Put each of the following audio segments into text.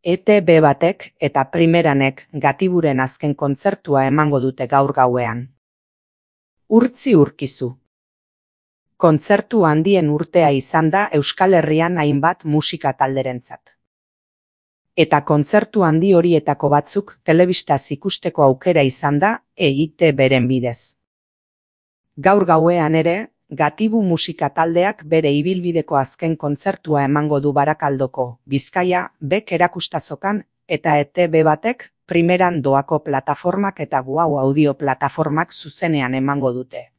ETB batek eta Primeranek Gatiburen azken kontzertua emango dute gaur gauean. Urtzi Urkizu. Kontzertu handien urtea izan da Euskal Herrian hainbat musika talderentzat. Eta kontzertu handi horietako batzuk telebistaz ikusteko aukera izan da EITBren bidez. Gaur gauean ere, Gatibu musika taldeak bere ibilbideko azken kontzertua emango du Barakaldoko, Bizkaia, Bek erakustazokan, eta ETB batek Primeran doako plataformak eta Guau audio plataformak zuzenean emango dute.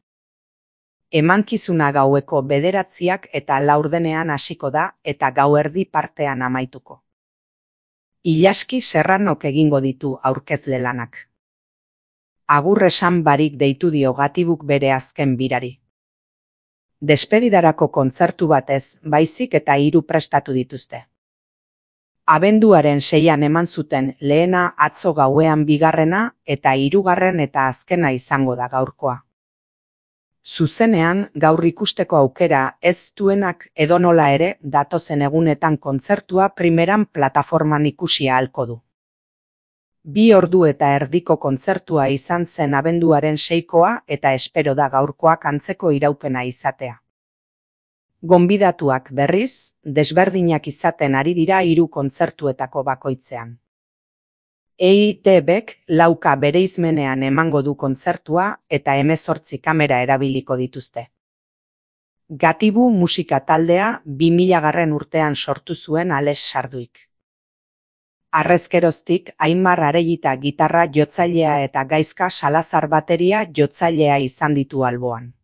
Emankizuna gaueko 9 eta 4 hasiko da eta gauerdi partean amaituko. Ilaski Serranok egingo ditu aurkezle lanak. Agur esan barik deitu dio Gatibuk bere azken birari. Despedidarako kontzertu batez, baizik eta 3 prestatu dituzte. Abenduaren 6an eman zuten lehena atzo gauean bigarrena eta 3. eta azkena izango da gaurkoa. Zuzenean gaur ikusteko aukera ez duenak edonola ere datozen egunetan kontzertua Primeran plataforman ikusi ahalko du. 2 ordu eta erdiko kontzertua izan zen abenduaren 6koa eta espero da gaurkoak antzeko iraupena izatea. Gonbidatuak berriz, desberdinak izaten ari dira 3 kontzertuetako bakoitzean. EITBek 4 bereizmenean emango du kontzertua eta 18 kamera erabiliko dituzte. Gatibu musika taldea 2000 urtean sortu zuen Ales Sarduik. Harrezkeroztik Aimar Arellita gitarra jotzailea eta Gaizka Salazar bateria jotzailea izan ditu alboan.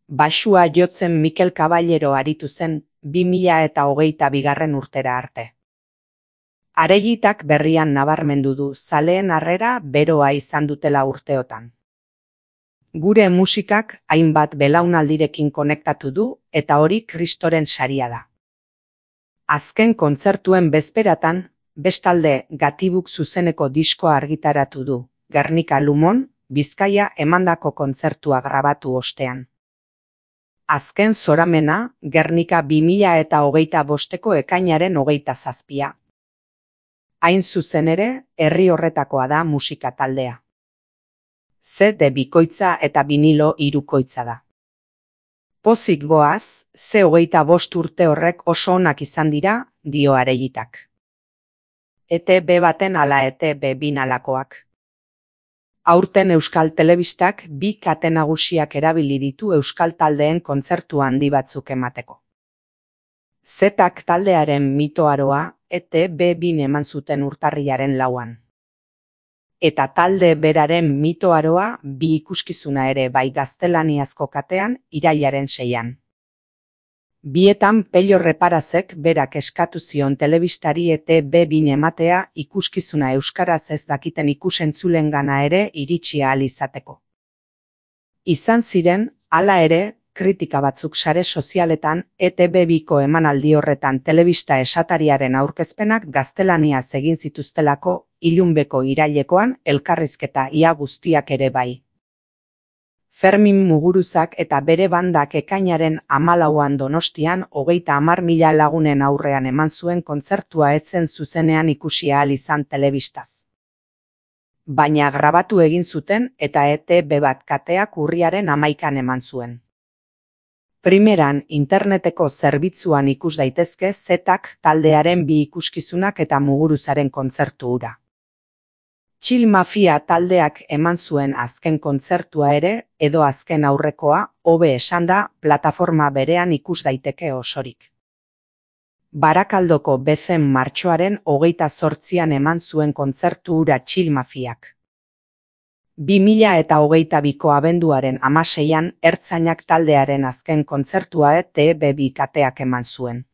Baxua jotzen Mikel Caballero aritu zen 2022 urtera arte. Arellitak berrian nabarmendu du zaleen harrera beroa izan dutela urteotan. Gure musikak hainbat belaunaldirekin konektatu du eta hori Kristoren saria da. Azken kontzertuen bezperatan, bestalde Gatibuk zuzeneko diskoa argitaratu du, Gernika Lumon, Bizkaia emandako kontzertua grabatu ostean. Azken zoramena, Gernika 2025ko ekainaren 27. Hain zuzen ere, herri horretakoa da musika taldea. CD bikoitza eta vinilo 3koitza da. Pozik goaz, C25 urte horrek oso onak izan dira, dio Arellitak. ETB baten ala ETB binalakoak. Aurten Euskal Telebistak 2 kate nagusiak erabili ditu euskal taldeen kontzertu handi batzuk emateko. Zetak taldearen mitoaroa ETB2 eman zuten urtarrilaren 4an. Eta talde beraren mitoaroa 2 ikuskizuna ere bai gaztelaniazko katean irailaren 6an. Bietan Pello Reparazek berak eskatu zion telebistari ETB2 ematea ikuskizuna euskaraz ez dakiten ikusentzulengana ere iritsi ahal izateko. Izan ziren, hala ere, kritika batzuk sare sozialetan ETB2ko emanaldi horretan telebista esatariaren aurkezpenak gaztelaniaz egin zituztelako ilunbeko irailekoan elkarrizketa ia guztiak ere bai. Fermin Muguruzak eta bere bandak ekainaren 14an Donostian 30.000 lagunen aurrean eman zuen kontzertua etzen zuzenean ikusi ahal izan telebistaz. Baina grabatu egin zuten eta ETB bat kateak urriaren 11an eman zuen. Primeran interneteko zerbitzuan ikus daitezke Zetak taldearen 2 ikuskizunak eta Muguruzaren kontzertu hura. Chill Mafia taldeak eman zuen azken kontzertua ere, edo azken aurrekoa, hobe esanda, plataforma berean ikus daiteke osorik. Barakaldoko bezen martxoaren 28an eman zuen kontzertu hura Chill Mafiak. 2022ko abenduaren 16an Ertzainak taldearen azken kontzertua ETB2 kateak eman zuen.